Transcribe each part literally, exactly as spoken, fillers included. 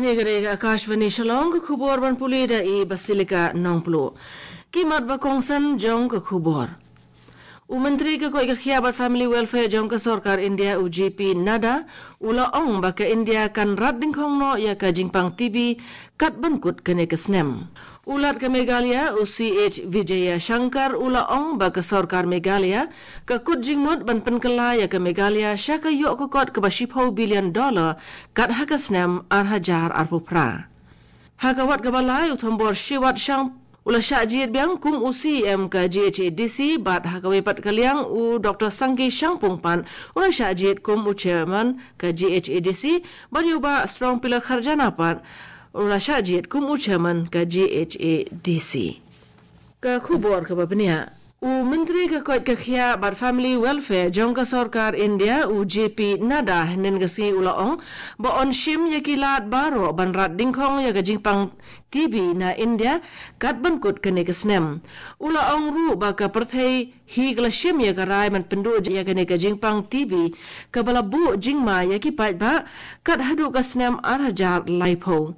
Ni ka dei ka Akashvani Shillong, ka khubor ban pule da i Basilica Nongplu. Ki mat ba kongsan jong ka khubor. U Myntri ka koit ka khiah bad Family Welfare jong ka sorkar India, u J P Nadda, u la ong ba ka India kan rat dingkhong noh ïa ka jingpang T B kat ban kut kane ka snem. U Lat ka Meghalaya, u C H Vijayashankar, u la ong ba ka sorkar Meghalaya ka kut jingmut ban pynkylla ïa ka Meghalaya sha ka ïoh ka kot kaba shiphew billion dollar kat ha ka snem ar hajar arphew phra. Ha ka wat kaba lai, u Thombor Shiwat Shang u la shah jied biang kum u C E M ka G H A D C, bad ha kawei pat ka liang, u Doctor Sangki Shangpung pat u la shah jied kum u chairman ka G H A D C, bad ïa u Bah Strong Pila Kharjana pat u la shah jied kum u chairman ka G H A D C. Ka khubor kaba bniah. U Myntri ka koit ka khiah bad Family Welfare jong ka sorkar India, u J P Nadda, hynnin ka sngi u la ong ba yn shim ïa ki lad baroh ban rat dingkhong ïa ka jingpang T B na India kat ban kut kane ka snem. U la ong ruh ba ka pyrthei hi ka la shim ïa ka rai ban pynduh ïa kane ka jingpang T B kaba la buh jingma ïa ki paidbah kat haduh ka snem ar hajar laiphew.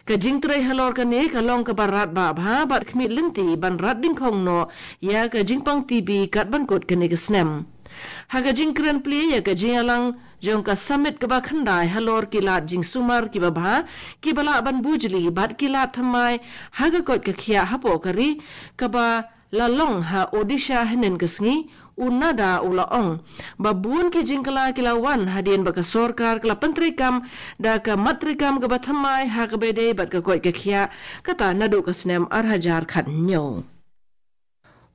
Ka jingtrei halor kane ka long kaba radbah bha bad khmih lynti ban rat dingkhong noh ïa ka jingpang T B kat ban kut kane ka snem. Ha ka jingkren plie ïa ka jingïalang jong ka summit kaba khyndai halor ki lad jingsumar kiba bha kiba lah ban bujli bad ki lad thymmai ha ka koit ka khiah hapoh ka ri kaba la long ha Odisha hynnin ka sngi, u Nadda u la ong ba bun ki jingkylla ki la wan hadien ba ka sorkar ka la pyntreikam da ka mat treikam kaba thymmai ha kaba ïadei bad ka koit ka khiah, kata naduh ka snem ar hajar khathynñiew.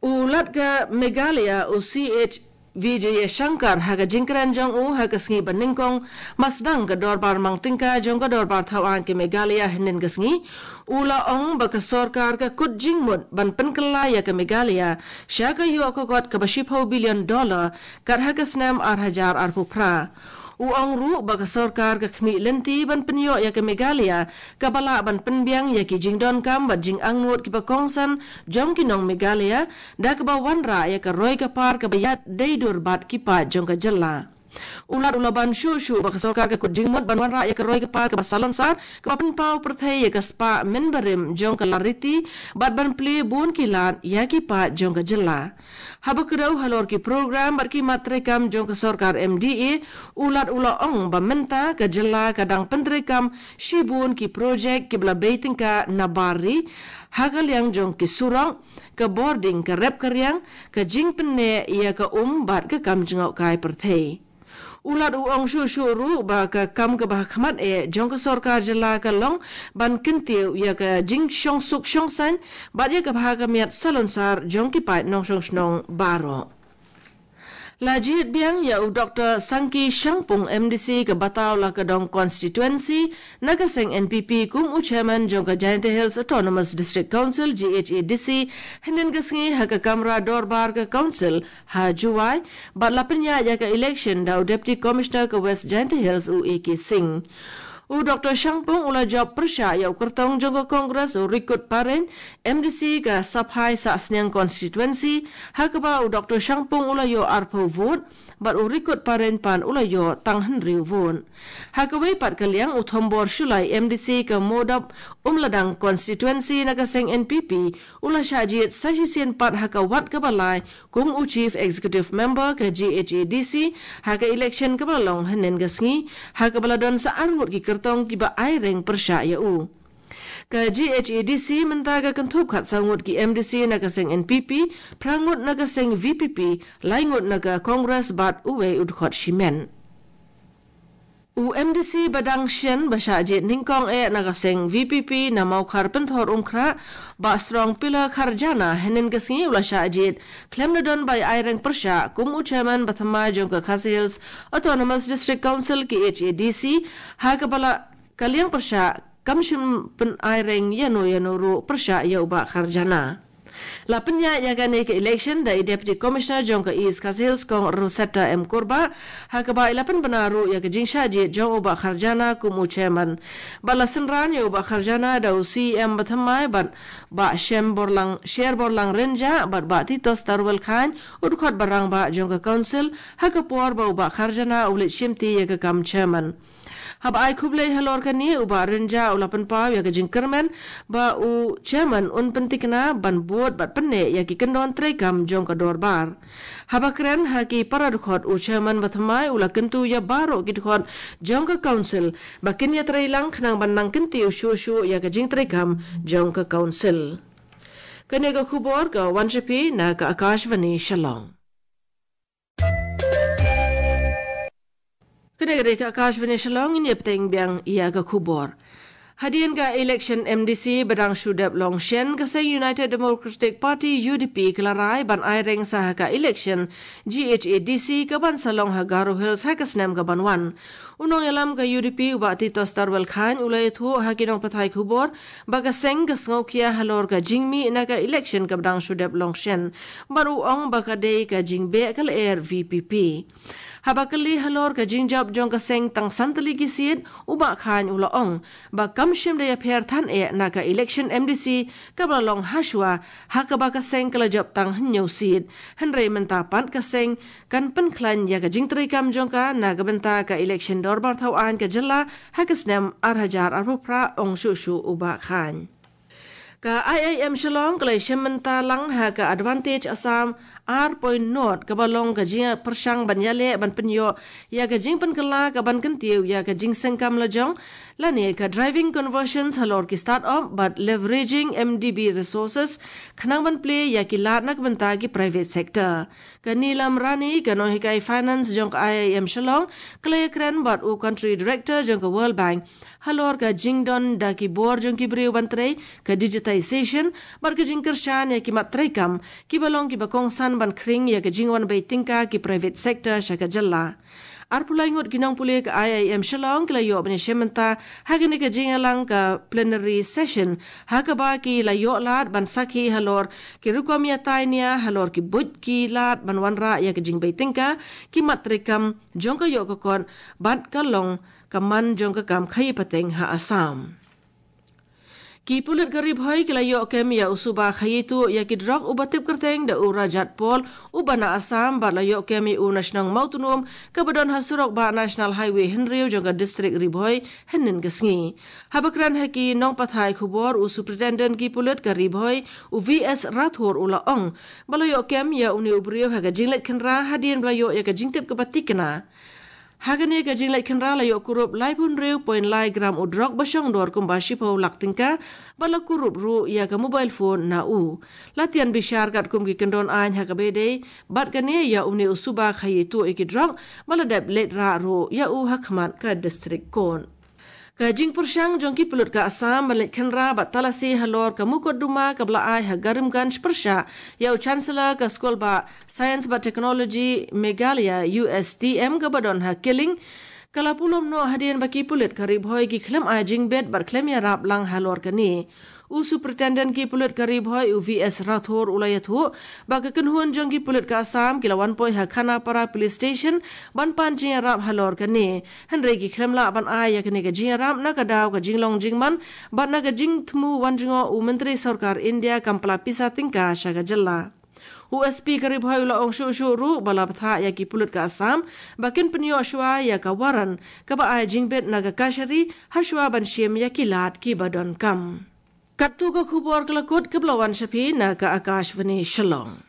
U Lat ka Meghalaya, u C H Vijayashankar, ha ka jingkren jong u ha ka sngi ba nyngkong ba sdang ka dorbar mang tyngka jong ka dorbar thaw aiñ ka Meghalaya hynnin ka sngi, u la ong ba ka sorkar ka kut jingmut ban pynkylla ïa ka Meghalaya sha ka ïoh ka kot kaba shiphew billion dollar kat ha ka snem ar hajar arphew phra. U ong ruh ba ka sorkar ka khmih lynti ban pynïoh ïa ka Meghalaya kaba lah ban pynbiang ïa ki jingdonkam bad jingangnud kiba kongsan jong ki nong Meghalaya, da kaba wanrah ïa ka roi ka par kaba ïadei dur bad ki paid jong ka jylla. U Lat u la ban shuh shuh ba ka sorkar ka kut jingmut ban wanrah ïa ka roi ka par kaba salonsar, kaba pynpaw pyrthei ïa ka spah mynbarim jong ka lariti bad ban plie bun ki lad ïa ki paid jong ka jylla. Haba kdew halor ki program bad ki mat treikam jong ka sorkar M D A, u Lat u la ong ba mynta ka jylla ka dang pyntreikam shibun ki projek kiba la bei tyngka na bar ri, ha ka liang jong ki surok, ka bording, ka rep ka riang, ka jingpynneh ïa ka um bad ka kam jngohkai pyrthei. U Lat u ong shuh shuh ruh ba ka kam kaba ha khmat eh jong ka sorkar jylla ka long ban kyntiew ïa ka jingshongsuk shongsaiñ bad ïa ka bha ka miat salonsar jong ki paid nongshong shnong baroh. La jied biang ïa u Doctor Sangki Shangpung, M D C ka Batawladong Constituency, na ka seng N P P kum u chairman jong ka Jaintia Hills Autonomous District Council, G H A D C, hynnin ka sngi ha ka kamra dorbar ka council ha Jowai, bad la pynïaid ïa ka election da u Deputy Commissioner ka West Jaintia Hills, u A K Singh. U Doctor Shangpung u la jop pyrshah ïa u kyrtong jong ka Congress, u Rikut Parein, M D C ka Saphai Sahsniang Constituency, ha kaba u Doctor Shangpung u la ïoh arphew vote, bad u Rikut Parein pat u la ïoh tang hynriew vote. Ha kawei pat ka liang, u Thombor Shullai, M D C ka Mowdob Umladang Constituency na ka seng N P P, u la shah jied sa shisien pat ha ka wat kaba lai kum u Chief Executive Member ka G H A D C ha ka election kaba la long hynnin ka sngi, ha kaba la don sa arngut ki kyrtong kiba aireng pyrshah ïa u. Ka G H A D C mynta ka kynthup khatsaw ngut ki M D C na ka seng N P P, phra ngut na ka seng V P P, lai ngut na ka Congress bad uwei u dkhot shimet. U M D C ba dang shen ba shah jied nyngkong eh na ka seng V P P na Mawkhar Pynthorumkhrah, Bah Strong Pila Kharjana, hynnin ka sngi u la shah jied khlem da don ba ïai reng pyrshah kum u chairman ba thymmai jong ka Khasi Hills Autonomous District Council, K H A D C, ha kaba la ka liang pyrshah kam shym pynïai reng ïano ïano ruh pyrshah ïa u Bah Kharjana. La pynïaid ïa kane ka election da i Deputy Commissioner jong ka East Khasi Hills, Kong Rosetta M Kurbah, ha kaba i la pynbna ruh ïa ka jingshah jied jong u Bah Kharjana kum u chairman. Bad la synran ïa u Bah Kharjana da u C E M ba thymmai bad Bah Shem Borlang, Sher Borlang Rynjah bad Bah Titos Tarwel Chyne, u dkhot ba rangbah jong ka Council, ha ka por ba u Bah Kharjana u leit shimti ïa ka kam chairman. Haba ai khublei halor kane, u Bah Rynjah u la pynpaw ïa ka jingkyrmen ba u chairman un pyntikna ban bud bad pynneh ïa ki kyndon treikam jong ka dorbar. Haba kren ha ki para dkhot, u chairman ba thymmai u la kyntu ïa baroh ki dkhot jong ka council ba kin ïatreilang khnang ban nang kyntiew shuh shuh ïa ka jingtreikam jong ka council. Kane ka khubor ka wan sha phi na ka Akashvani Shillong. Kane ka dei ka Akashvani Shillong, ngin ïa bteng biang ïa ka khubor. Hadien ka election M D C ba dang shu dep long shen, ka seng United Democratic Party, U D P, ka la rai ban ai reng sa ha ka election G H A D C ka ban sa long ha Garo Hills ha ka snem ka ban wan. U nongïalam ka U D P, u Bah Titosstarwell Chyne, u la ïathuh ha ki nongpathai khubor ba ka seng ka sngewkhia halor ka jingmih na ka election kaba dang shu dep long shen, bad u ong ba ka dei ka jingbeh ka lyer V P P. Haba kylli halor ka jingjop jong ka seng tang san tylli ki seat, u Bah Chyne u la ong ba kam shym da ïapher than eh na ka election M D C kaba la long hashwa, ha kaba ka seng ka la jop tang hynñiew seat. Hynrei mynta pat ka seng kan pynkhlaiñ ïa ka jingtreikam jong ka na ka bynta ka election dorbar thawaiñ ka jylla ha ka snem ar hajar arphew phra, ong shuh shuh u Bah Chyne. Ka I I M Shillong ka la ïashem bynta lang ha ka Advantage Assam ar point nought, kaba long ka jingpyrshang ban ïaleh ban pynïoh ïa ka jingpynkylla ka ban kyntiew ïa ka jingsengkam lajong, lane ka driving conversions halor ki start-up bad leveraging M D B resources khnang ban plie ïa ki lad na ka bynta ki private sector. Ka Neelam Rani, ka nonghikai finance jong ka I I M Shillong, ka la ïakren bad u Country Director jong ka World Bank halor ka jingdon da ki bor jong ki briew ban trei, ka digitization, bad ka jingkyrshan ïa ki mat treikam kiba long kiba kongsan ban khring ïa ka jingwan beit tyngka ki private sector sha ka jylla. Arphew lai ngut ki nongpule ka I I M Shillong ki la ïoh ban ïashem bynta ha kane ka jingïalang ka plenary session, ha kaba ki la ïoh lad ban sakhi halor ki rukom ïatai nia halor ki buit ki lad ban wanrah ïa ka jingbeit tyngka ki mat treikam jong ka ïoh ka kot bad ka long ka man jong ka kam khaïi pateng ha Assam. Ki pulit ka Ri Bhoi ki la ïoh kem ïa u suba khaïi tuh ïa ki drok uba tip kyrteng da u Rajat Paul, uba na Assam, bad la ïoh kem ïa u na shnong Mawtnum kaba don ha surok bah National Highway hynriew jong ka district Ri Bhoi hynnin ka sngi. Haba kren ha ki nongpathai khubor, u Superintendent ki pulit ka Ri Bhoi, u V S Rathore, u la ong ba la ïoh kem ïa une u briew ha ka jingleit khynra hadien ba la ïoh ïa ka jingtip kaba tikna. Ha kane ka jingleit khynra la ïoh kurup laiphew hynriew point lai gram u drok ba shong dor kumba shiphew lak tyngka, bad la kurup ruh ïa ka mobile phone na u. La tian bishar katkum ki kyndon aiñ ha kaba ïadei bad kane ïa une u suba khaïi tuh ïa ki drok, bad la dep leit rah ruh ïa u ha khmat ka District Court. Ka jingpyrshang jong ki pulit ka Assam ban leit khynra bad talasi halor ka mukotduma kaba la ai ha Karimganj pyrshah ïa u Chancellor ka Skul Bah Science bad Technology Meghalaya, U S T M, kaba don ha Killing, ka la pulom noh hadien ba ki pulit ka Ri Bhoi ki khlem ai jingbit bad khlem ïarap lang halor kane. U Superintendent ki pulit ka Ri Bhoi, u V S Rathore, u la ïathuh ba ka kynhun jong ki pulit ka Assam ki la wan poi ha Khanapara Police Station ban pan jingïarap halor kane, hynrei ki khlem lah ban ai ïa kane ka jingïarap na ka daw ka jinglong jingman bad na ka jingthmu wan jngoh u Myntri Sorkar India kam pla pisa tyngka sha ka jylla. U S P ka Ri Bhoi u la ong shuh shuh ruh ba la bthah ïa ki pulit ka Assam ba kin pynïoh shuwa ïa ka warrant kaba ai jingbit na ka kashari, ha shuwa ban shim ïa ki lad kiba donkam. Katto ka khubor ka la kut kaba la wan sha phi na ka Akashvani Shillong.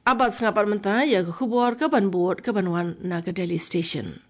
Abat sngap pat mynta ïa ka khubor ka ban bud ka ban wan na ka Delhi Station.